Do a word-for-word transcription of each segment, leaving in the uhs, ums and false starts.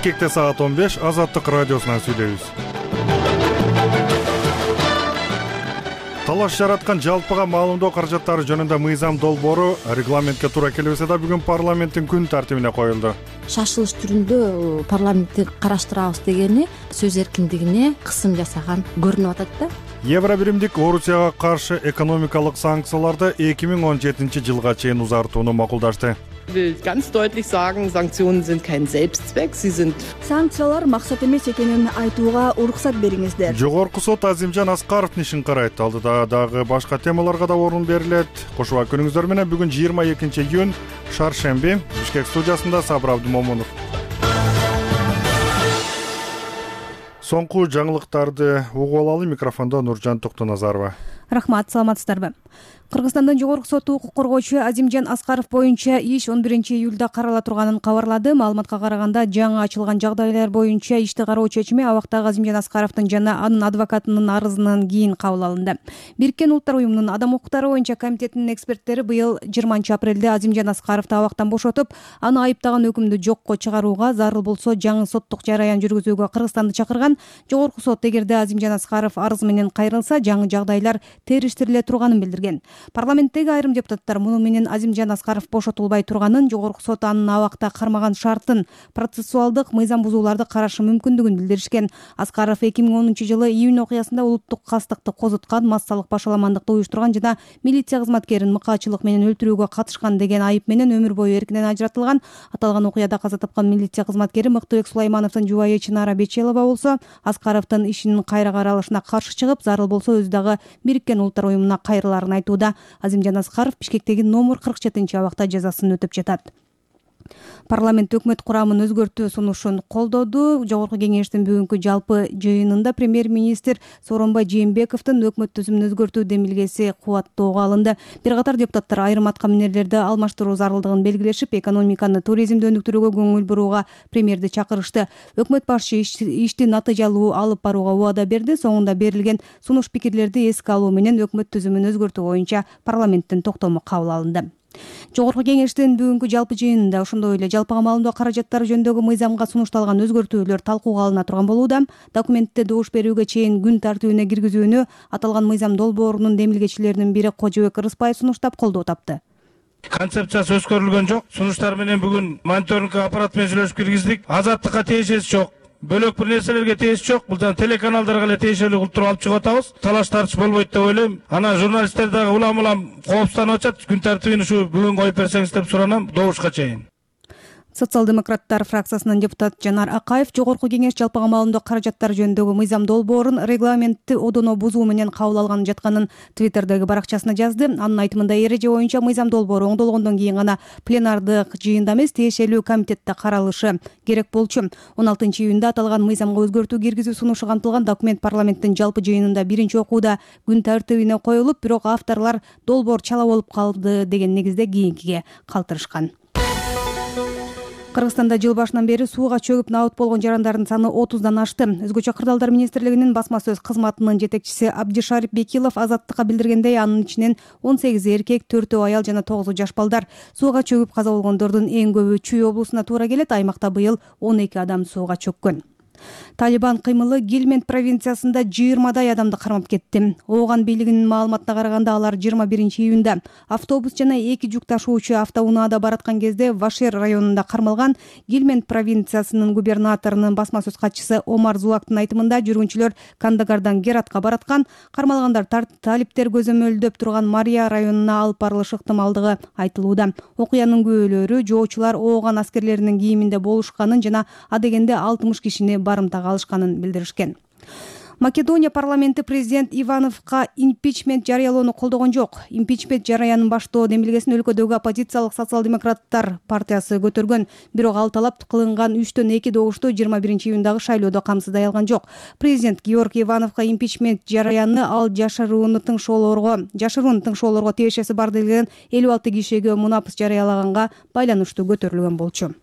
Бишкекте саат он беш, Азаттык радиосунан сүйлөйбүз. Талаш жараткан жалпыга маалымдоо каражаттары жөнүндө мыйзам долбоору регламентке туура келбесе да бүгүн парламенттин күн тартибине коюлду. Шашылыш түрүндө парламентти караштырабыз дегени сөз эркиндигине кысым жасаган көрүнүп атат да. Евро биримдик Орусияга каршы экономикалык санкцияларды эки миң он жетинчи жылга чейин узартууну макулдашты. Ich will ganz deutlich sagen, Sanktionen sind kein Selbstzweck, sie sind Санкциялар максат эмес экенин айтууга уруксат бериңиздер. Жогорку сот Азимжан Аскаровдун ишин карайт. Алдыда дагы башка темаларга да орун берилет. Кошуп күнүңүздөр менен бүгүн жыйырма экинчи июнь шаршемби Бишкек студиясында Сабыр Абдымомунов. Соңку жаңылыктарды угуп алалы. Микрофондо Нуржан Токтоназарова. Рахмат, саламатсыздарбы? Кыргызстандын жогорку соту укук коргоочу Азимжан Аскаров боюнча иш он биринчи июлда карала турганын кабарлады. Маалыматка караганда, жаңы ачылган жагдайлар боюнча ишти кароо чечими абактагы Азимжан Аскаровдун жана анын адвокатынын арызынан кийин кабыл алынды. Бириккен Улуттар уюмунун адам укуктары боюнча комитетинин эксперттери быйыл жыйырманчы апрелде Азимжан Аскаровду абактан бошотуп, аны айыптаган өкүмдү жокко чыгарууга, зарыл болсо жаңы соттук жараян жүргүзүүгө Кыргызстанды чакырган. Жогорку сот эгерде Азимжан Аскаров арыз менен кайрылса, жаңы жагдайлар териштириле турганын билдирген. Парламенттеги айрым депутаттар муну менен Азимжан Аскаров бошотулбай турганын, жогорку сот анын абакта кармаган шартын, процессуалдык мыйзам бузууларды карашы мүмкүндүгүн билдиришкен. Аскаров эки миң онунчу жылы июнь окуясында улуттук кастыкты козуткан, массалык башаламандыкты уюштурган жана милиция кызматкерин мыкаачылык менен өлтүрүүгө катышкан деген айып менен өмүр бою эркинен ажыратылган. Аталган окуяда каза тапкан милиция кызматкери Мыктыбек Сулаймановдун жубайы Чынара Бечелова болсо, Аскаровдун ишинин кайра каралышына каршы чыгып, зарыл болсо өзү дагы Бириккен Улуттар уюмуна кайрылаарын айтууда. Азимжан Аскаров Бишкектеги номер кырк жетинчи абакта жазасын өтөп жатат. Парламент өкмөт курамын өзгөртүү сунушун колдоду. Жогорку кеңештин бүгүнкү жалпы жыйынында премьер-министр Сооронбай Жээнбековдун өкмөт түзүмүн өзгөртүү демилгеси кубаттоого алынды. Бир катар депутаттар айрым аткаминерлерди алмаштыруу зарылдыгын белгилешип, экономиканы, туризмди өнүктүрүүгө көңүл бурууга премьерди чакырышты. Өкмөт башчы ишти натыйжалуу алып барууга убада берди. Соңунда берилген сунуш пикирлерди эске алуу менен өкмөт түзүмүн өзгөртүү боюнча парламенттин токтому кабыл алынды. Жогорку кеңештин бүгүнкү жалпы жыйынында ошондой эле жалпыга маалымдоо каражаттары жөнүндөгү мыйзамга сунушталган өзгөртүүлөр талкууга алына турган болууда. Документти добуш берүүгө чейин күн тартибине киргизүүнү аталган мыйзам долбоорунун демилгечилеринин бири Кожобек Рыспаев сунуштап колдоо тапты. Концепциясы өзгөрүлгөн жок. Сунуштар менен бүгүн мониторинг аппарат менен сүйлөшүп киргиздик. Азаттыкка тиешеси жок. Бөлөк бир нерселерге тиешеси жок. Бул жана телеканалдарга эле тиешелүү кылып туруп алып чыгып атабыз. Талаш тартыш болбойт деп ойлойм. Ана журналисттер дагы улам-улам коопсузнанып атышат. Күн тартибин ушу бүгүн коюп берсеңиз деп суранам добушка чейин. Социал-демократтар фракциясынын депутат Жанар Акаев жогорку кеңеш жалпыга маалымдоо каражаттары жөнүндөгү мыйзам долбоорун регламентти одоно бузуу менен кабыл алган жатканын Твиттердеги баракчасына жазды. Анын айтымында эреже боюнча мыйзам долбоору оңдолгондон кийин гана пленардык жыйында эмес, тиешелүү комитетте каралышы керек болчу. он алтынчы июнда аталган мыйзамга өзгөртүү киргизүү сунушу камтылган документ парламенттин жалпы жыйынында биринчи окууда күн тартибине коюлуп, бирок авторлор долбоор чала болуп калды деген негизде кийинкиге калтырышкан. Кыргызстанда жыл башынан бери сууга чөгүп набыт болгон жарандардын саны отуздан ашты. Өзгөчө кырдаалдар министрлигинин басма сөз кызматынын жетекчиси Абдишарип Бекилов Азаттыкка билдиргендей, анын ичинен он сегизи эркек, төртөө аял жана тогузу жаш балдар. Сууга чөгүп каза болгондордун эң көбү Чүй облусуна туура келет. Аймакта быйыл он эки адам сууга чөккөн. Талибан кыймылы Гильмент провинциясында жыйырмадай адамды кармап кетти. Ооган бийлигинин маалыматына караганда, алар жыйырма биринчи июнда автобус жана эки жүк ташуучу автоунаада бараткан кезде Вашер районунда кармалган. Гильмент провинциясынын губернаторунун басма сөз катчысы Омар Зуактын айтымында, жүргүнчүлөр Кандагардан Гератка бараткан. Кармалгандар талиптер көзөмөлдөп турган Мария районуна алып барылышы ыктымалдыгы айтылууда. Окуянын күбөлөрү жоочулар ооган аскерлеринин кийиминде болушканын жана адегенде алтымыш кишини барымтага алышканын билдиришкен. Македония парламенти президент Ивановго импичмент жарыялоону колдогон жок. Импичмент жараянын баштоо демилгесин өлкөдөгү оппозициялык социал-демократтар партиясы көтөргөн. Бирок ал талап кылынган үчтөн эки добушту жыйырма биринчи июндагы шайлоодо камсыздай алган жок. Президент Георгий Ивановго импичмент жараянны ал жашырууну тыңшоолорго, жашырууну тыңшоолорго тиешеси бар деген элүү алты кишиге мунапыс жарыялаганга байланыштуу көтөрүлгөн болчу.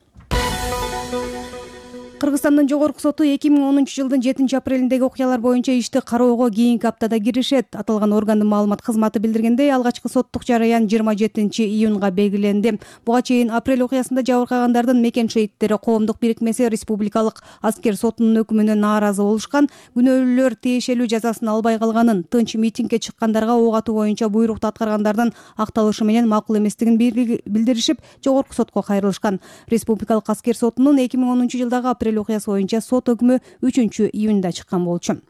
Кыргызстандын жогорку соту эки миң онунчу жылдын жетинчи апрелиндеги окуялар боюнча ишти кароого кийинки аптада киришет. Аталган органдын маалымат кызматы билдиргендей, алгачкы соттук жараян жыйырма жетинчи июнга белгиленди. Буга чейин апрель окуясында жабыркагандардын мекен шейиттери коомдук бирикмеси республикалык аскер сотунун өкүмүнө нааразы болушкан. Күнөөлүүлөр тиешелүү жазасын албай калганын, тынч митингге чыккандарга ок атуу боюнча буйрукту аткаргандардын акталышы менен макул эместигин билдиришип, жогорку сотко кайрылышкан. Республикалык аскер сотунун эки миң онунчу жылдагы апрель окуясы боюнча сот өкмү үчүнчү июнда чыккан болчу.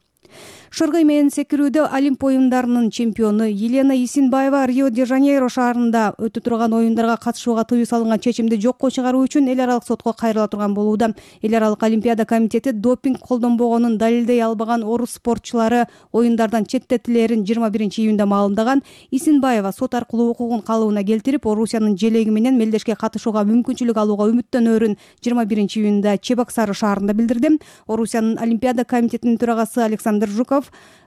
Шыргый менен секирүүдө Олимп оюндарынын чемпиону Елена Исинбаева Рио-де-Жанейро шаарында өтө турган оюндарга катышууга тыюу салынган чечимди жокко чыгаруу үчүн эл аралык сотко кайрыла турган болууда. Эл аралык олимпиада комитети допинг колдонбогонун далилдей албаган орус спортчулары оюндардан четтетилерин жыйырма биринчи июнда маалымдаган. Исинбаева сот аркылуу укугун калыбына келтирип, Орусиянын желеги менен мелдешке катышууга мүмкүнчүлүк алууга үмүттөнөөрүн жыйырма биринчи июнда Чебоксары шаарында билдирди. Орусиянын олимпиада комитетинин төрагасы Александр Жуков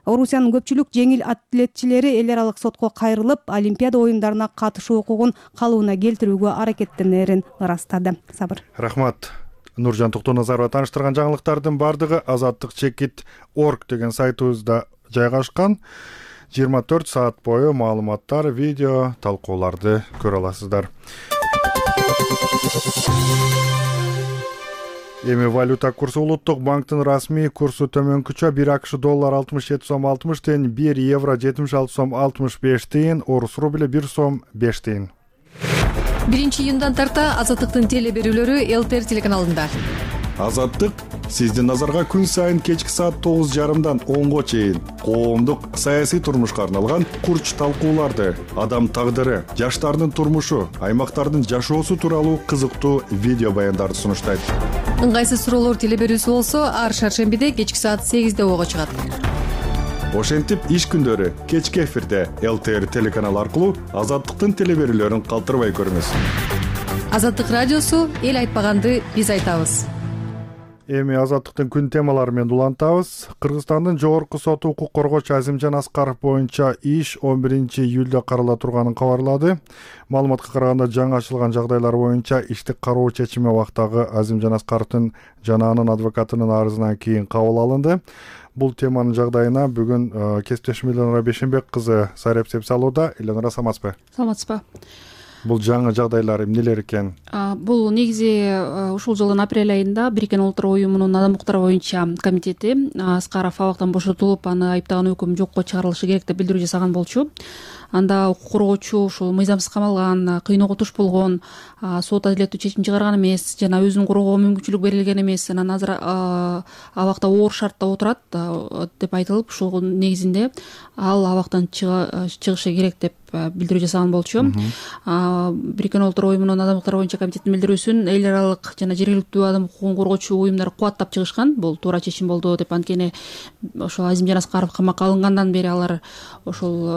Орусиянын көпчүлүк жеңил атлетчилери эл аралык сотко кайрылып, олимпиада оюндарына катышуу укугун калыбына келтирүүгө аракеттенерин ырастады. Сабыр. Рахмат. Нуржан Токтоназарова тааныштырган жаңылыктардын бардыгы азаттык чекит точка орг деген сайтыбызда жайгашкан. жыйырма төрт саат бою маалыматтар, видео, талкууларды көрө аласыздар. Эми валюта курсу улуттук банктын расмий курсу төмөнкүчө бир акш доллар алтымыш жети сом алтымыш тыйын, бир евро жетимиш алты сом алтымыш беш тыйын, орус рубли бир сом беш тыйын. биринчи июндан тарта Азаттыктын теле берүүлөрү эл т эр телеканалында. Азаттык сиздин назарга күн сайын кечки саат тогуз жарымдан онго чейин коомдук саясий турмушка арналган курч талкууларды, адам тагдыры, жаштардын турмушу, аймактардын жашоосу тууралуу кызыктуу видео баяндарды сунуштайт. Ыңгайсыз суроолор теле берүүсү болсо, ар шаршембиде кечки саат сегизде ого чыгат. Ошентип иш күндөрү кечки эфирде эл т эр телеканалы аркылуу Азаттыктын теле берүүлөрүн калтырбай көрүңүз. Азаттык радиосу эл айтпаганды биз айтабыз. Эми Азаттыктын күн темалары менен улантабыз. Кыргызстандын жогорку соту укук коргоочу Азимжан Аскаров боюнча иш он биринчи июлда карала турганын кабарлады. Маалыматка караганда, жаңы ачылган жагдайлар боюнча ишти кароо чечими убактагы Азимжан Аскаровдун жана анын адвокатынын арызынан кийин кабыл алынды. Бул теманын жагдайына бүгүн кесиптешим Элнара Бешенбек кызы сайрап-сеп салууда. Элнара, саламатсызбы? Саламатсызбы. Бул жаңы жагдайлар эмнелер экен? Бул негизи ушул жылдын апрель айында Бириккен Улуттар уюмунун адам укуктары боюнча комитети Аскаров абактан бошотулуп, аны айыптаган өкүм жокко чыгарылышы керек деп билдирүү жасаган болчу. Анда укук коргоочу ушул мыйзамсыз камалган, кыйноого туш болгон, сот адилеттүү чечим чыгарган эмес жана өзүн коргоого мүмкүнчүлүк берилген эмес, анан азыр абакта оор шартта отурат деп айтылып, ушул негизинде ал абактан чыгышы керек деп билдирүү жасаган болчу. Бириккен Улуттар уюмунун адам укуктары боюнча комитетинин билдирүүсүн эл аралык жана жергиликтүү адам укугун коргоочу уюмдар кубаттап чыгышкан. Бул туура чечим болду деп, анткени ошол Азимжан Аскаров камакка алынгандан бери алар ошол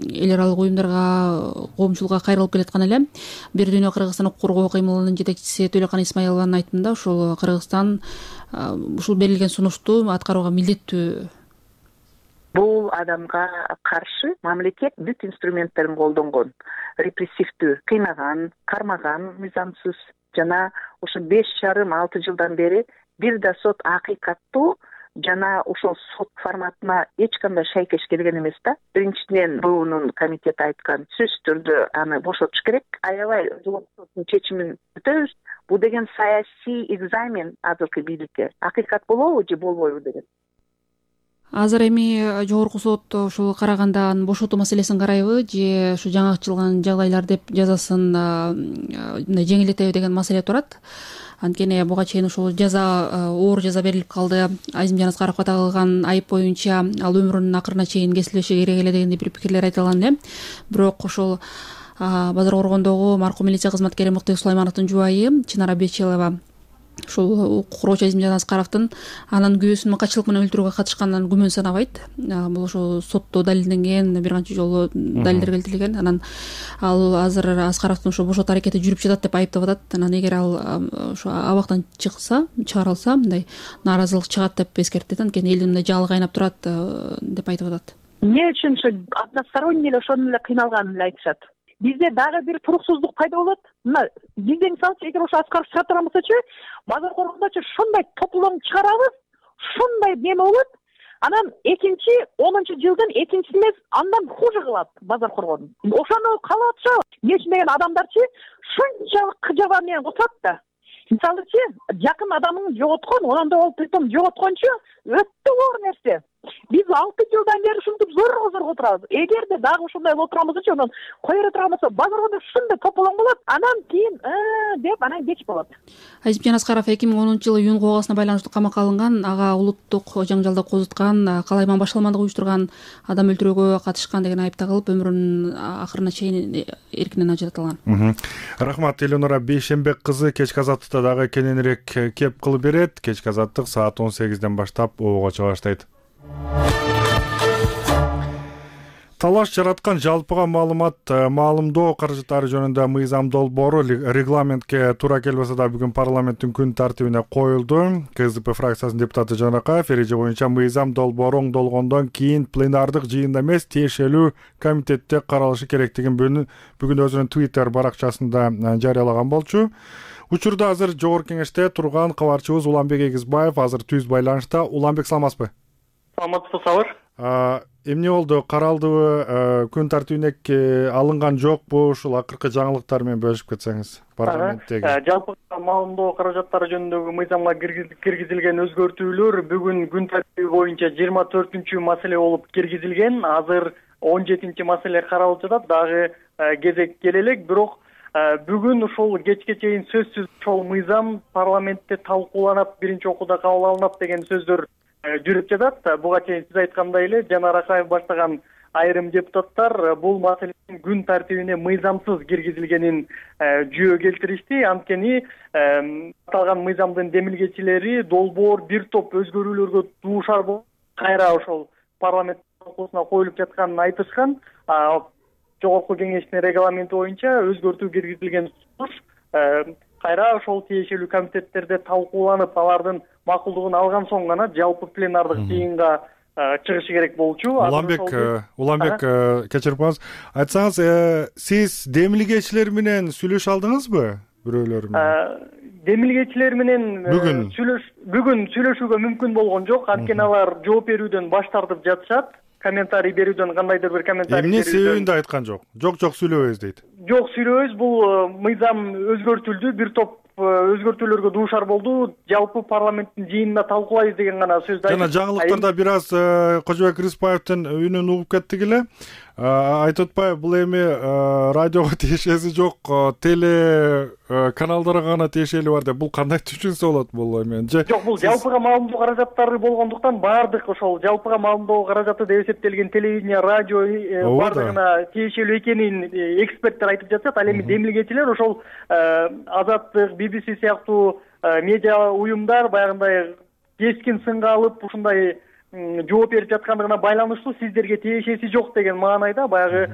эл аралык уюмдарга, коомчулукка кайрылып келаткан эле. Бир дүйнө Кыргызстан укук коргоо кыймылынын жетекчиси Төлөкан Исмаилованын айтымында, ушул Кыргызстан ушул берилген сунушту аткарууга милдеттүү. Бул адамга каршы мамлекет бүт инструменттерин колдонгон, репрессивдүү, кыйнаган, кармаган мыйзамсыз жана ушу беш жарым алты жылдан бери бир да сот акыйкаттуу жана ошол сот форматына эч кандай шайкеш келген эмес да. Биринчиден, буунун комитети айткан сөзсүз түрдө аны бошотуш керек. Аябай жогорку соттун чечимин күтөбүз. Бул деген саясий экзамен азыркы бийликке. Акыйкат болобу же болбойбу деген. Азыр эми жогорку сот ушул караганда анын бошотуу маселесин карайбы же ушу жаңы ачылган жагдайлар деп жазасын жеңилдетеби деген маселе турат. Анткени буга чейин ушул жаза, оор жаза берилип калды. Азимжан Аскаровго тагылган айып боюнча ал өмүрүнүн акырына чейин кесилбеши керек эле дегендей бир пикирлер айтылган эле. Бирок ошол Базар Коргондогу маркум милиция кызматкери Мыкты Сулаймановдун жубайы Чынара Бечелова ушул укук коргоочу Азимжан Аскаровдун анын күйөөсүн катчылык менен өлтүрүүгө катышканынан күмөн санабайт. Бул ошо сотто далилденген, бир канча жолу далилдер келтирилген. Анан ал азыр Аскаровдун ошо бошотуу аракети жүрүп жатат деп айыптап атат. Анан эгер ал ошо абактан чыкса, чыгарылса, мындай нааразылык чыгат деп эскертет. Анткени элдин мындай жаалы кайнап турат деп айтып атат. Эмне үчүн ошо односторонне эле ошону эле кыйналганын эле айтышат. бизде дагы бир туруксуздук пайда болот. Мына бизде мисалычы эгер ошо Аскаров чыга турган болсочу, базар коргондочу шундай тополоң чыгарабыз, шундай неме болот. Анан экинчи онунчу жылдын экинчиси эмес, андан хуже кылат базар коргон. Ошону каалап атышабы? Эмне үчүн деген адамдарчы шунчалык кыжаба менен кутат да. Мисалычы жакын адамын жоготкон, ошондой болуп притом жоготкончу өтө оор нерсе. Биз алты жылдан бери ушинтип зорго зорго отурабыз. Эгерде дагы ушундай болуп турган болсочу, анан кое бере турган болсо, базарда шундай тополоң болот, анан кийин деп анан кеч болот. Азимжан Аскаров эки миң онунчу жылы июнь коогасына байланыштуу камакка алынган, ага улуттук жаңжалды козуткан, калайман башаламандык уюштурган, адам өлтүрүүгө катышкан деген айып тагылып, өмүрүнүн акырына чейин эркинен ажыратылган. Рахмат, Элеонора Бейшембек кызы кечки азаттыкта дагы кененирээк кеп кылып берет. Кечки азаттык саат он сегизден баштап ого чыга баштайт. Талаш жараткан жалпыга маалымат маалымдоо каражаттары жөнүндө мыйзам долбоору регламентке туура келбесе да бүгүн парламенттин күн тартибине коюлду. КСДП фракциясынын депутаты Жанакаев эреже боюнча мыйзам долбоору оңдолгондон кийин пленардык жыйында эмес, тиешелүү комитетте каралышы керектигин бүгүн өзүнүн Twitter баракчасында жарыялаган болчу. Учурда азыр жогорку кеңеште турган кабарчыбыз Уланбек Эгизбаев азыр түз байланышта. Уланбек, саламатсызбы? Саламатсызбы, Сабыр. Эмне болду? Каралдыбы? Күн тартибине алынган жокпу? Ушул акыркы жаңылыктар менен бөлүшүп кетсеңиз парламенттеги. Жалпы маалымдоо каражаттары жөнүндөгү мыйзамга киргизилген өзгөртүүлөр бүгүн күн тартиби боюнча жыйырма төртүнчү маселе болуп киргизилген. Азыр он жетинчи маселе каралып жатат. Дагы кезек келе элек, бирок бүгүн ушул кечке чейин сөзсүз ошол мыйзам парламентте талкууланат, биринчи окууда кабыл алынат деген сөздөр жүрүп жатат. Буга чейин сиз айткандай эле Жанар Акаев баштаган айрым депутаттар бул маселенин күн тартибине мыйзамсыз киргизилгенин жүйө келтиришти. Анткени аталган мыйзамдын демилгечилери долбоор бир топ өзгөрүүлөргө дуушар болуп, кайра ошол парламент талкуусуна коюлуп жатканын айтышкан. Жогорку кеңештин регламенти боюнча өзгөртүү киргизилген сунуш кайра ошол тиешелүү комитеттерде талкууланып, алардын макулдугун алган соң гана жалпы пленардык жыйынга чыгышы керек болчу. Уланбек, Уланбек, кечирип коюңуз. Айтсаңыз, сиз демилгечилер менен сүйлөшө алдыңызбы? Бирөөлөр менен? Демилгечилер менен бүгүн бүгүн сүйлөшүүгө мүмкүн болгон жок. Анткени алар жооп берүүдөн баш тартып жатышат. Комментарий берүүдөн кандайдыр бир комментарий эмне себебин да айткан жок. Жок, жок сүйлөбөйбүз дейт. Жок, сүйлөбөйбүз. Бул мыйзам өзгөртүлдү, бир топ өзгөртүүлөргө дуушар болду. Жалпы парламенттин жыйынында талкуулайбыз деген гана сөздү айтып. Жана жаңылыктарда бир аз Кожобек Рыспаевдин үнүн угуп кеттик эле. Айтып атпайбы, бул эми радиого тиешеси жок, теле каналдарга гана тиешелүү бар деп. Бул кандай түшүнсө болот бул эми? Жок, бул жалпыга маалымдоо каражаттары болгондуктан баардык ошол жалпыга маалымдоо каражаты деп эсептелген телевидение, радио баардыгына тиешелүү экенин эксперттер айтып жатышат. Ал эми демилгечилер ошол Азаттык, би би си сыяктуу медиа уюмдар баягындай кескин сынга алып ушундай жооп берип жаткандыгына байланыштуу сиздерге тиешеси жок деген маанайда баягы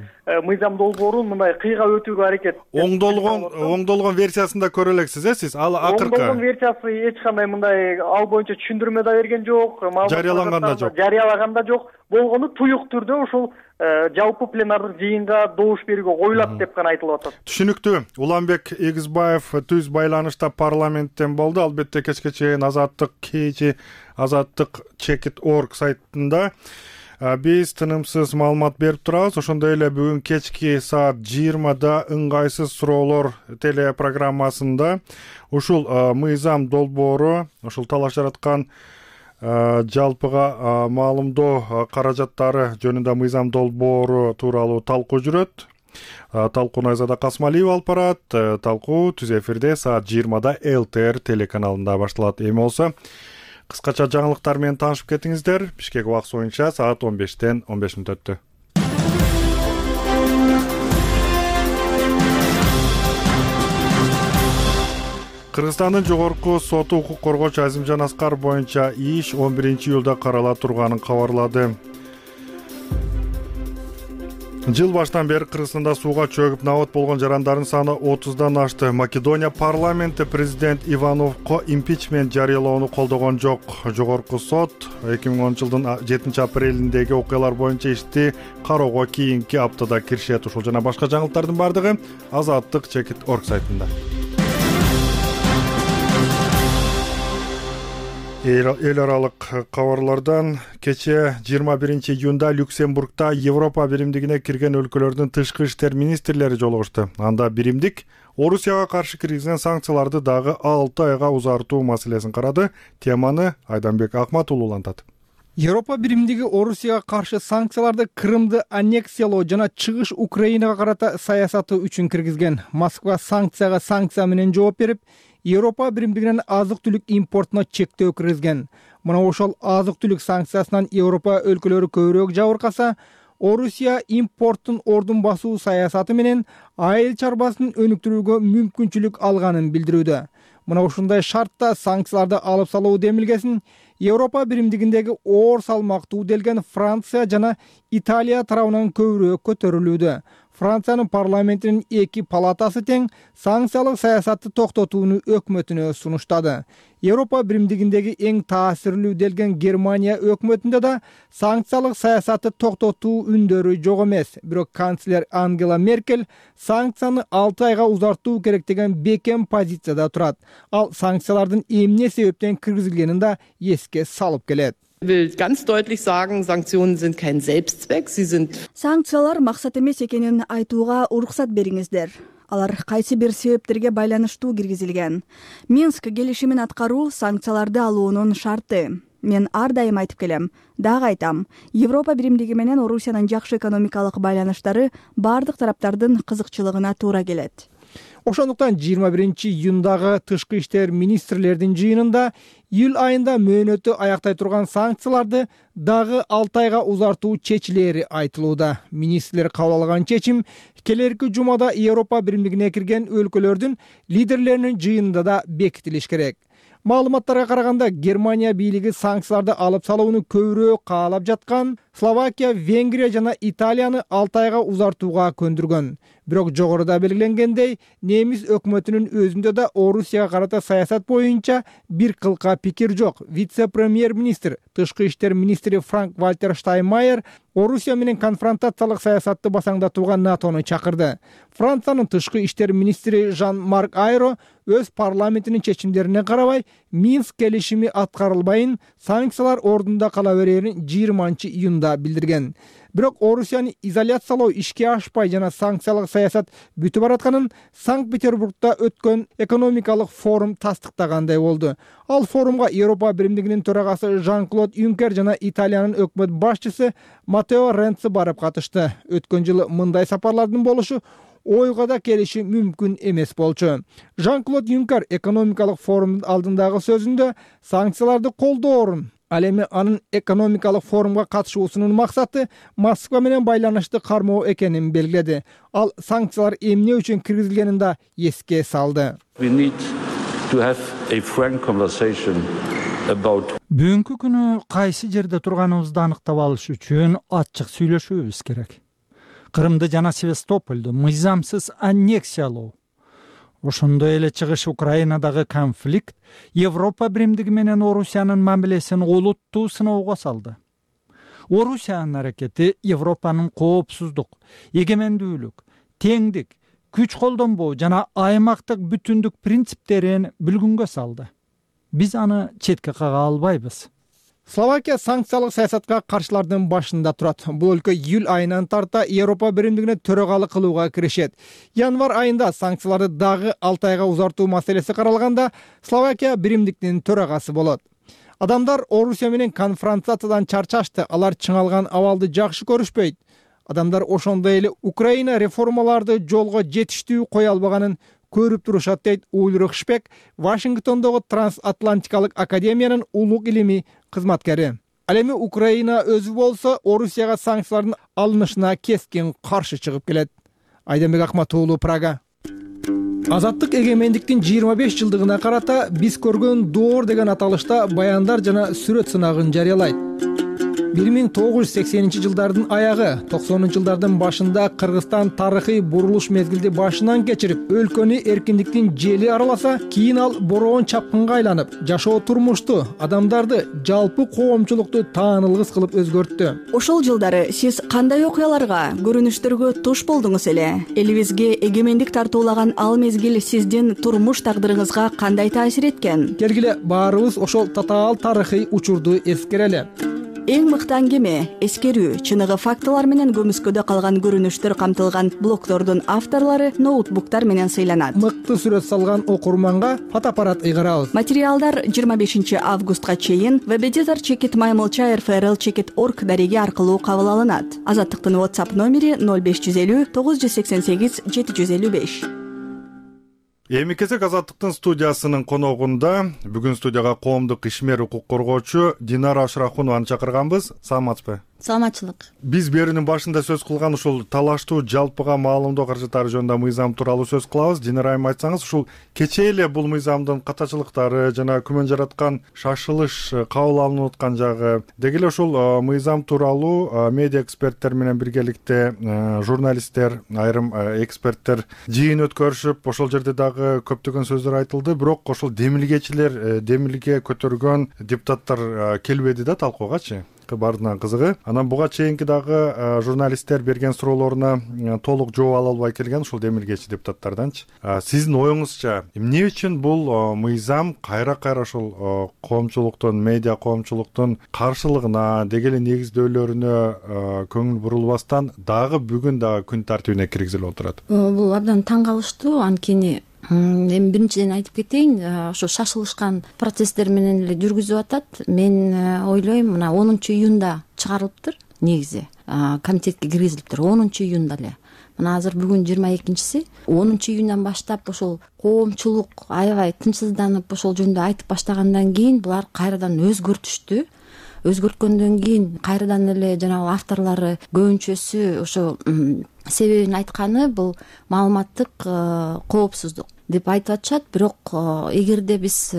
мыйзам долбоорун мындай кыйга өтүүгө аракет. Оңдолгон оңдолгон версиясын да көрө элексиз, э сиз? Ал акыркы оңдолгон версиясы эч кандай мындай ал боюнча түшүндүрмө да берген жок, жарыялаган да жок. Жарыялаган да жок. Болгону туюк түрдө ушул жалпы пленардык жыйынга добуш берүүгө коюлат деп гана айтылып атат. Түшүнүктүү. Уланбек Эгизбаев түз байланышта парламенттен болду. Албетте кечке чейин Азаттык кечи азаттык чекит точка орг сайтында биз тынымсыз маалымат берип турабыз. Ошондой эле бүгүн кечки саат жыйырмада ыңгайсыз суроолор телепрограммасында ушул мыйзам долбоору, ушул талаш жараткан жалпыга маалымдоо каражаттары жөнүндө мыйзам долбоору тууралуу талкуу жүрөт. Талкууну Айзада Касмалиева алып барат. Талкуу түз эфирде саат жыйырмада эл тэ эр телеканалында башталат. Эми болсо кыскача жаңылыктар менен таанышып кетиңиздер. Бишкек убакыты боюнча саат он бештен он беш мүнөт өттү. Кыргызстандын жогорку соту укук коргоочу Азимжан Аскаров боюнча иш он биринчи июлда карала турганын кабарлады. Жыл баштан бери Кыргызстанда сууга чөгүп набат болгон жарандардын саны отуздан ашты. Македония парламенти президент Ивановго импичмент жарыялоону колдогон жок. Жогорку сот эки миң онунчу жылдын жетинчи апрелиндеги окуялар боюнча ишти кароого кийинки аптада киришет. Ушул жана башка жаңылыктардын бардыгы Азаттык чекит точка орг сайтында. Эл аралык кабарлардан кечээ жыйырма биринчи июнда Люксембургда Европа биримдигине кирген өлкөлөрдүн тышкы иштер министрлери жолугушту. Анда биримдик Орусияга каршы киргизген санкцияларды дагы алты айга узартуу маселесин карады. Теманы Айданбек Акмат улуулантат. Европа биримдиги Орусияга каршы санкцияларды Крымды аннексиялоо жана чыгыш Украинага карата саясаты үчүн киргизген. Москва санкцияга санкция менен жооп берип, Европа биримдигинен азык-түлүк импортуна чектөө киргизген. Мына ошол азык-түлүк санкциясынан Европа өлкөлөрү көбүрөөк жабыркаса, Орусия импорттун ордун басуу саясаты менен айыл чарбасын өнүктүрүүгө мүмкүнчүлүк алганын билдирүүдө. Мына ушундай шартта санкцияларды алып салуу демилгесин Европа биримдигиндеги оор салмактуу делген Франция жана Италия тарабынан көбүрөөк көтөрүлүүдө. Франциянын парламентинин эки палатасы тең санкциялык саясатты токтотууну өкмөтүнө сунуштады. Европа биримдигиндеги эң таасирлүү делген Германия өкмөтүндө да санкциялык саясатты токтотуу үндөрү жок эмес. Бирок канцлер Ангела Меркель санкцияны алты айга узартуу керек деген бекем позицияда турат. Ал санкциялардын эмне себептен киргизилгенин да эске салып келет. Ich will ganz deutlich sagen, Sanktionen sind kein Selbstzweck, sie sind Санкциялар максат эмес экенин айтууга уруксат бериңиздер. Алар кайсы бир себептерге байланыштуу киргизилген. Минск келишимин аткаруу санкцияларды алуунун шарты. Мен ар дайым айтып келем, дагы айтам. Европа биримдиги менен Орусиянын жакшы экономикалык байланыштары бардык тараптардын кызыкчылыгына туура келет. Ошондуктан жыйырма биринчи июндагы тышкы иштер министрлердин жыйынында июль айында мөөнөтү аяктай турган санкцияларды дагы алты айга узартуу чечилери айтылууда. Министрлер кабыл алган чечим келерки жумада Европа биримдигине кирген өлкөлөрдүн лидерлеринин жыйынында да бекитилиш керек. Маалыматтарга караганда Германия бийлиги санкцияларды алып салууну көбүрөөк каалап жаткан Словакия, Венгрия жана Италияны алты айга узартууга көндүргөн. Бирок жогоруда белгиленгендей, немис өкмөтүнүн өзүндө да Орусияга карата саясат боюнча бир кылка пикир жок. Вице-премьер-министр, тышкы иштер министри Франк-Вальтер Штайнмайер Орусия менен конфронтациялык саясатты басаңдатууга НАТОну чакырды. Франциянын тышкы иштер министри Жан-Марк Айро өз парламентинин чечимдерине карабай Минск келишими аткарылбайын, санкциялар ордунда кала берерин жыйырманчы июнда билдирген. Бирок Орусияны изоляциялоо ишке ашпай жана санкциялык саясат бүтүп баратканын Санкт-Петербургда өткөн экономикалык форум тастыктагандай болду. Ал форумга Европа биримдигинин төрагасы Жан-Клод Юнкер жана Италиянын өкмөт башчысы Матео Ренци барып катышты. Өткөн жылы мындай сапарлардын болушу ойго да келиши мүмкүн эмес болчу. Жан-Клод Юнкер экономикалык форумдун алдындагы сөзүндө санкцияларды колдоорун, ал эми анын экономикалык форумга катышуусунун максаты Москва менен байланышты кармоо экенин белгиледи. Ал санкциялар эмне үчүн киргизилгенин да эске салды. Бүгүнкү күнү кайсы жерде турганыбызды аныктап алыш үчүн ачык сүйлөшүүбүз керек. Крымды жана Севастополду мыйзамсыз аннексиялоо, ошондой эле чыгыш Украинадагы конфликт Европа биримдиги менен Орусиянын мамилесин олуттуу сыноого салды. Орусиянын аракети Европанын коопсуздук, эгемендүүлүк, теңдик, күч колдонбоо жана аймактык бүтүндүк принциптерин бүлгүнгө салды. Биз аны четке кага албайбыз. Словакия санкциялык саясатка каршылардын башында турат. Бул өлкө июль айынан тарта Европа биримдигине төрагалык кылууга киришет. Январь айында санкцияларды дагы алты айга узартуу маселеси каралганда Словакия биримдиктин төрагасы болот. Адамдар Орусия менен конфронтациядан чарчашты. Алар чыңалган абалды жакшы көрүшпөйт. Адамдар ошондой эле Украина реформаларды жолго жетиштүү кое албаганын көрүп турушат дейт Ульрих Шпек, Вашингтондогу Трансатлантикалык академиянын улук илимий кызматкери. Ал эми Украина өзү болсо Орусияга санкциялардын алынышына кескин каршы чыгып келет. Айданбек Акмат уулу, Прага. Азаттык эгемендиктин жыйырма беш жылдыгына карата биз көргөн доор деген аталышта баяндар жана сүрөт сынагын жарыялайт. бир миң тогуз жүз сексенинчи жылдардын аягы токсонунчу жылдардын башында Кыргызстан тарыхый бурулуш мезгилди башынан кечирип, өлкөнү эркиндиктин жели араласа, кийин ал бороон чапкынга айланып, жашоо турмушту, адамдарды, жалпы коомчулукту таанылгыс кылып өзгөрттү. Ошол жылдары сиз кандай окуяларга, көрүнүштөргө туш болдуңуз эле? Элибизге эгемендик тартуулаган ал мезгил сиздин турмуш тагдырыңызга кандай таасир эткен? Келгиле баарыбыз ошол татаал тарыхый учурду эскерели. Эң мыкты аңгеме, эскерүү, чыныгы фактылар менен көмүскөдө калган көрүнүштөр камтылган блогдордун авторлору ноутбуктар менен сыйланат. Мыкты сүрөт салган окурманга фотоаппарат ыйгарабыз. Материалдар жыйырма бешинчи августка чейин веб-эдитор чекит маймылча эр эф эр эл чекит орг дареги аркылуу кабыл алынат. Азаттыктын WhatsApp номери ноль беш жүз элүү тогуз жүз сексен сегиз жети жүз элүү беш. Эми кезек Азаттыктын студиясынын коногунда бүгүн студияга коомдук ишмер, укук коргоочу Динара Ашрахунованы чакырганбыз. Саламатсызбы? Саламатчылык. Биз берүүнүн башында сөз кылган ушул талаштуу жалпыга маалымдоо каражаттары жөнүндө мыйзам тууралуу сөз кылабыз. Динара айым айтсаңыз, ушул кечээ эле бул мыйзамдын катачылыктары жана күмөн жараткан шашылыш кабыл алынып аткан жагы, деги эле ушул мыйзам тууралуу медиа эксперттер менен биргеликте журналисттер, айрым эксперттер жыйын өткөрүшүп, ошол жерде дагы көптөгөн сөздөр айтылды, бирок ошол демилгечилер, демилге көтөргөн депутаттар келбеди да талкуугачы. Бардынан кызыгы. Анан буга чейинки дагы журналисттер берген суроолоруна толук жооп ала албай келген ушул демилгечи депутаттарданчы. Сиздин оюңузча, эмне үчүн бул мыйзам кайра-кайра ушул коомчулуктун, медиа коомчулуктун каршылыгына, деги эле негиздөөлөрүнө көңүл бурулбастан дагы бүгүн дагы күн тартибине киргизилип отурат? Бул абдан таң калыштуу, анткени эми биринчиден айтып кетейин, ошо шашылышкан процесстер менен эле жүргүзүп атат. Мен ойлойм, мына онунчу июнда чыгарылыптыр, негизи комитетке киргизилиптир, онунчу июнда эле. Мына азыр бүгүн жыйырма экинчиси, онунчу июндан баштап ошол коомчулук аябай тынчсызданып ошол жөнүндө айтып баштагандан кийин булар кайрадан өзгөртүштү. Өзгөрткөндөн кийин кайрадан эле жанагы авторлору көбүнчөсү ошо себебин айтканы бул маалыматтык коопсуздук деп айтып атышат. Бирок эгерде биз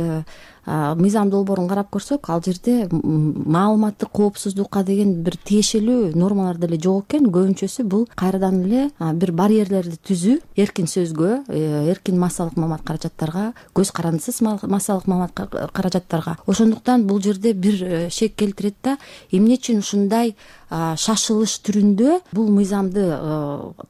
мыйзам долбоорун карап көрсөк, ал жерде маалыматтык коопсуздукка деген бир тиешелүү нормалар деле жок экен. Көбүнчөсү бул кайрадан эле бир барьерлерди түзүү, эркин сөзгө, эркин массалык маалымат каражаттарга, көз карандысыз массалык маалымат каражаттарга. Ошондуктан бул жерде бир шек келтирет да, эмне үчүн ушундай шашылыш түрүндө бул мыйзамды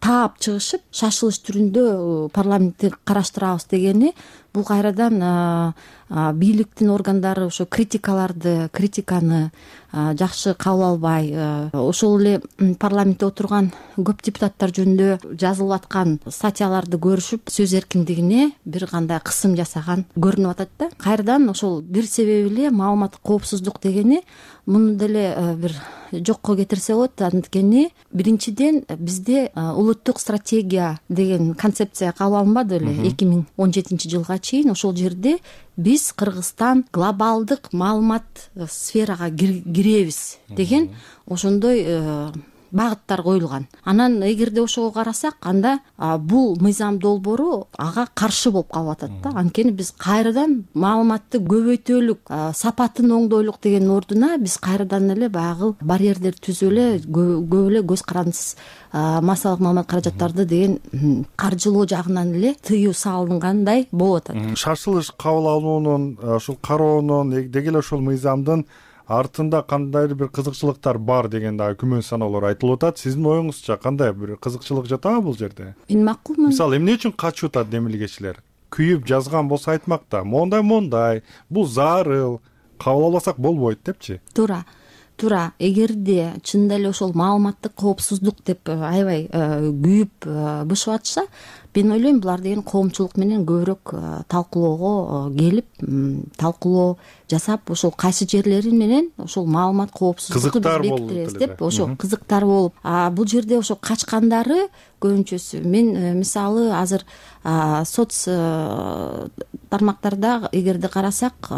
таап чыгышып, шашылыш түрүндө парламентти караштырабыз дегени, бул кайрадан бийликтин органдары ошо критикаларды, критиканы жакшы кабыл албай, ошол эле парламентте отурган көп депутаттар жөнүндө жазылып аткан статьяларды көрүшүп, сөз эркиндигине бир кандай кысым жасаган көрүнүп атат да. Кайрадан ошол бир себеби эле маалыматтык коопсуздук дегени муну деле бир жокко кетирсе болот. Анткени биринчиден бизде улуттук стратегия деген концепция кабыл алынбады эле эки миң он жетинчи жылга чейин. Ошол жерде биз Кыргызстан глобалдык маалымат сферага киребиз деген ошондой багыттар коюлган. Анан эгерде ошого карасак, анда бул мыйзам долбоору ага каршы болуп калып атат да. Анткени биз кайрадан маалыматты көбөйтөлүк, сапатын оңдойлук деген ордуна биз кайрадан эле баягы барьерлерди түзүп эле көп эле көз карандысыз массалык маалымат каражаттарды деген каржылоо жагынан эле тыюу салынгандай болуп атат. Шашылыш кабыл алуунун, ушул кароонун, деги эле ушул мыйзамдын артында кандайдыр бир кызыкчылыктар бар деген дагы күмөн саноолор айтылып атат. Сиздин оюңузча кандай бир кызыкчылык жатабы бул жерде? Мен макулмун. Мисалы, эмне үчүн качып атат демилгечилер? Күйүп жазган болсо айтмакта, мондай мондай, бул зарыл, кабыл албасак болбойт депчи. Туура. Туура. Эгерде чынында эле ошол маалыматтык коопсуздук деп аябай күйүп бышып атышса, мен ойлойм, булар деген коомчулук менен көбүрөөк талкуулоого келип, талкуулоо жасап, ошол кайсы жерлери менен ошол маалымат коопсуздукту биз бекитебиз деп, ошо кызыктар болуп, бул жерде ошо качкандары көбүнчөсү. Мен мисалы азыр соц тармактарда эгерде карасак,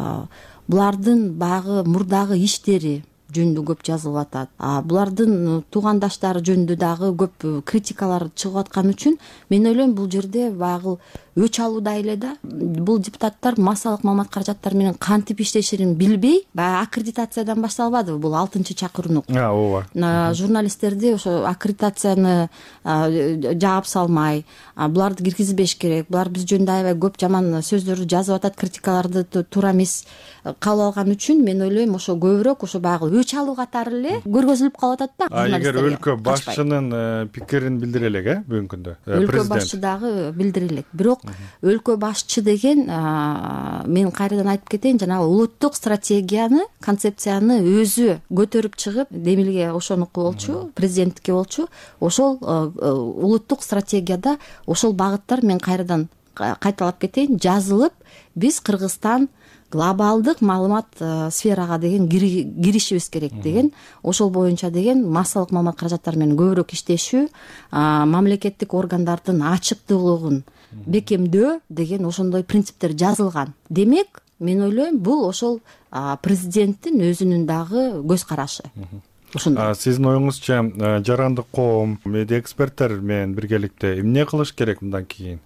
булардын баягы мурдагы иштери жөнүндө көп жазылып атат. Булардын туугандаштары жөнүндө дагы көп критикалар чыгып аткан үчүн мен ойлойм, бул жерде баягы өч алууда эле да. Бул депутаттар массалык маалымат каражаттары менен кантип иштешин билбей, баягы аккредитациядан башталбадыбы бул алтынчы чакырууну. ооба. Журналисттерди ошо аккредитацияны жаап салмай, буларды киргизбеш керек, булар биз жөнүндө аябай көп жаман сөздөрдү жазып атат, критикаларды туура эмес кабыл алган үчүн мен ойлойм ошо көбүрөөк ошо баягы өч алуу катары эле көргөзүлүп калып атат да. А эгер өлкө башчынын пикирин билдире элек, э бүгүнкү күндө өлкө башчы дагы билдире элек. Бирок өлкө башчы деген мен кайрадан айтып кетейин, жанагы улуттук стратегияны, концепцияны өзү көтөрүп чыгып, Демилге ошонуку болчу, президенттикке болчу, ошол улуттук стратегияда ошол багыттар, мен кайрадан кайталап кетейин, жазылып, биз Кыргызстан глобалдык маалымат сферага деген киришибиз керек деген, ошол боюнча деген массалык маалымат каражаттары менен көбүрөөк иштешүү, мамлекеттик органдардын ачыктуулугун бекемдөө деген ошондой принциптер жазылган. Демек, мен ойлойм, бул ошол президенттин өзүнүн дагы көз карашы. Сиздин оюңузча, жарандык коом, медиа эксперттер менен биргеликте эмне кылыш керек мындан кийин?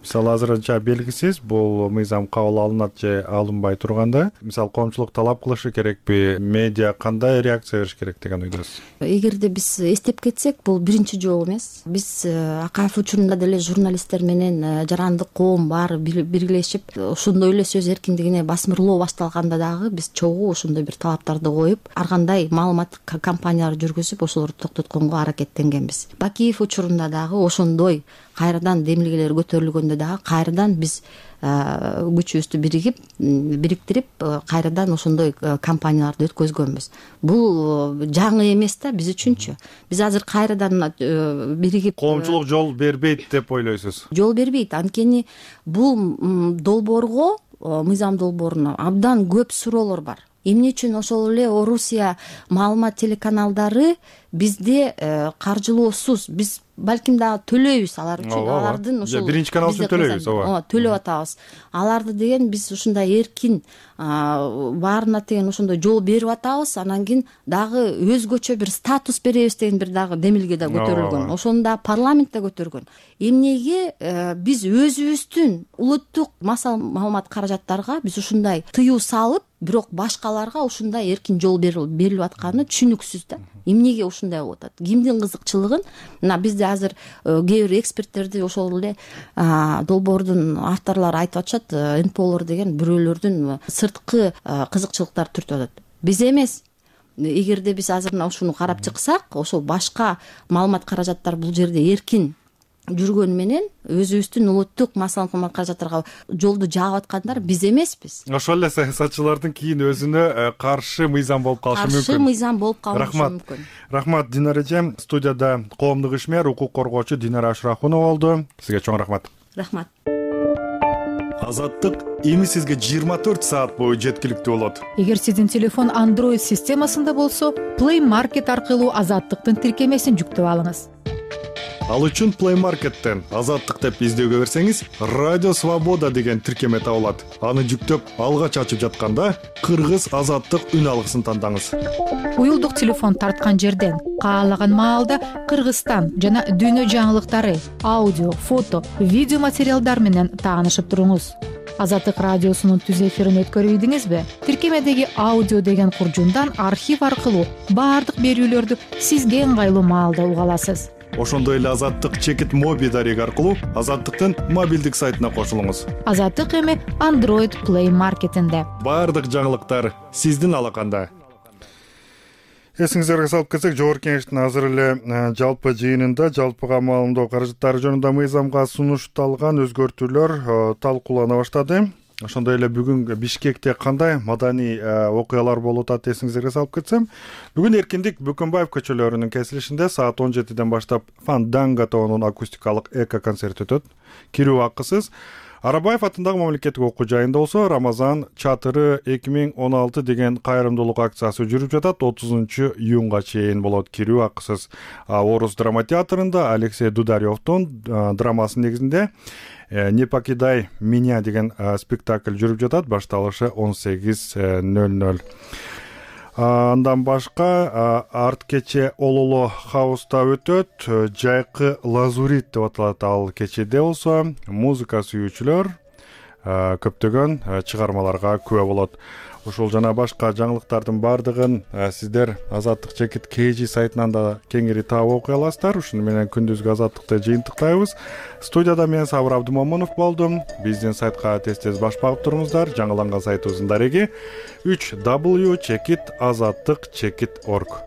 Мисалы, азырынча белгисиз, бул мыйзам кабыл алынат же алынбай турганда, мисалы, коомчулук талап кылышы керекпи, медиа кандай реакция бериш керек деген ойдосуз? Эгерде биз эстеп кетсек, бул биринчи жолу эмес. Биз Акаев учурунда деле журналисттер менен жарандык коом баары биргелешип, ошондой эле сөз эркиндигине басмырлоо башталганда дагы биз чогуу ошондой бир талаптарды коюп, ар кандай маалымат кампаниялар жүргүзүп, ошолорду токтотконго аракеттенгенбиз. Бакиев учурунда дагы ошондой кайрадан демилгелер көтөрүлгөндө дагы кайрадан биз күчүбүздү биригип, бириктирип, кайрадан ошондой кампанияларды өткөзгөнбүз. Бул жаңы эмес да биз үчүнчү. Биз азыр кайрадан биригип, коомчулук жол бербейт деп ойлойсуз? Жол бербейт. Анткени бул долбоорго, мыйзам долбооруна абдан көп суроолор бар. Эмне үчүн ошол эле Орусия маалымат телеканалдары бизде каржылоосуз, биз балким дагы төлөйбүз алар үчүн, алардын ошол биринчи канал үчүн төлөйбүз, ооба. Төлөп атабыз. Аларды деген биз ушундай эркин баарына деген ошондой жол берип атабыз, анан кийин дагы өзгөчө бир статус беребиз деген бир дагы демилге да көтөрүлгөн. Ошону да парламентте көтөргөн. Эмнеге биз өзүбүздүн улуттук массалык маалымат каражаттарга биз ушундай тыюу салып, бирок башкаларга ушундай эркин жол берилип атканы түшүнүксүз да. Эмнеге ушундай болуп атат? Кимдин кызыкчылыгын, мына бизде азыр кээ бир эксперттерди ошол эле долбоордун авторлору айтып атышат, эн пэ олор деген бирөөлөрдүн сырткы кызыкчылыктары түртүп атат. Биз эмес. Эгерде биз азыр ушуну карап чыксак, ошол башка маалымат каражаттар бул жерде эркин жүргөн менен өзүбүздүн улуттук массалык маалымат каражаттарга жолду жаап аткандар биз эмеспиз. Ошол эле саясатчылардын кийин өзүнө каршы мыйзам болуп калышы мүмкүн. Каршы мыйзам болуп калышы мүмкүн. Рахмат, Динара эже. Студияда коомдук ишмер, укук коргоочу Динара Ашрахунова болду. Сизге чоң рахмат. Рахмат. Азаттык эми сизге жыйырма төрт саат бою жеткиликтүү болот. Эгер сиздин телефон Android системасында болсо, Play Market аркылуу Азаттыктын тиркемесин жүктөп алыңыз. Ал үчүн Play Market'тен Азаттык деп издөөгө берсеңиз, Радио Свобода деген тиркеме табылат. Аны жүктөп, алгач ачып жатканда Кыргыз Азаттык үн алгысын тандаңыз. Уюлдук телефон тарткан жерден каалаган маалда Кыргызстан жана дүйнө жаңылыктары, аудио, фото, видео материалдар менен таанышып туруңуз. Азаттык радиосунун түз эфирин өткөрүп ийдиңизби? Тиркемедеги аудио деген куржундан архив аркылуу баардык берүүлөрдү сизге ыңгайлуу маалда уга аласыз. Ошондой эле Азаттык чекит моби дареги аркылуу Азаттыктын мобилдик сайтына кошулуңуз. Азаттык эми Android Play Market'инде. Баардык жаңылыктар сиздин алаканда. Эсиңиздерге салып кетсек, Жогорку Кеңештин азыр эле жалпы жыйынында жалпыга маалымдоо каражаттары жөнүндө мыйзамга сунушталган өзгөртүүлөр талкуулана баштады. Ошондой эле бүгүн Бишкекте кандай маданий окуялар болуп атат эсиңиздерге салып кетсем, бүгүн Эркиндик Бөкөнбаев көчөлөрүнүн кесилишинде саат он жетиден баштап Фанданга тобунун акустикалык эко концерт өтөт. Кирүү акысыз. Арабаев атындагы мамлекеттик окуу жайында болсо Рамазан чатыры эки миң он алты деген кайрымдуулук акциясы жүрүп жатат. отузунчу июнга чейин болот. Кирүү акысыз. Орус драма театрында Алексей Дударевдун драмасынын негизинде «Не покидай меня» деген спектакль жүрүп жатат. Башталышы он сегиз ноль ноль. Андан башка арт кече Ололо хауста өтөт. Жайкы лазурит деп аталат ал кечеде болсо музыка сүйүүчүлөр көптөгөн чыгармаларга күбө болот. Ушул жана башка жаңылыктардын баардыгын сиздер Азаттык чекит kg сайтынан да кеңири таап окуй аласыздар. Ушуну менен күндүзгү Азаттыкты жыйынтыктайбыз. Студияда мен Сабыр Абдымомунов болдум. Биздин сайтка тез-тез баш багып туруңуздар. Жаңыланган сайтыбыздын дареги үч w чекит азаттык чекит орг.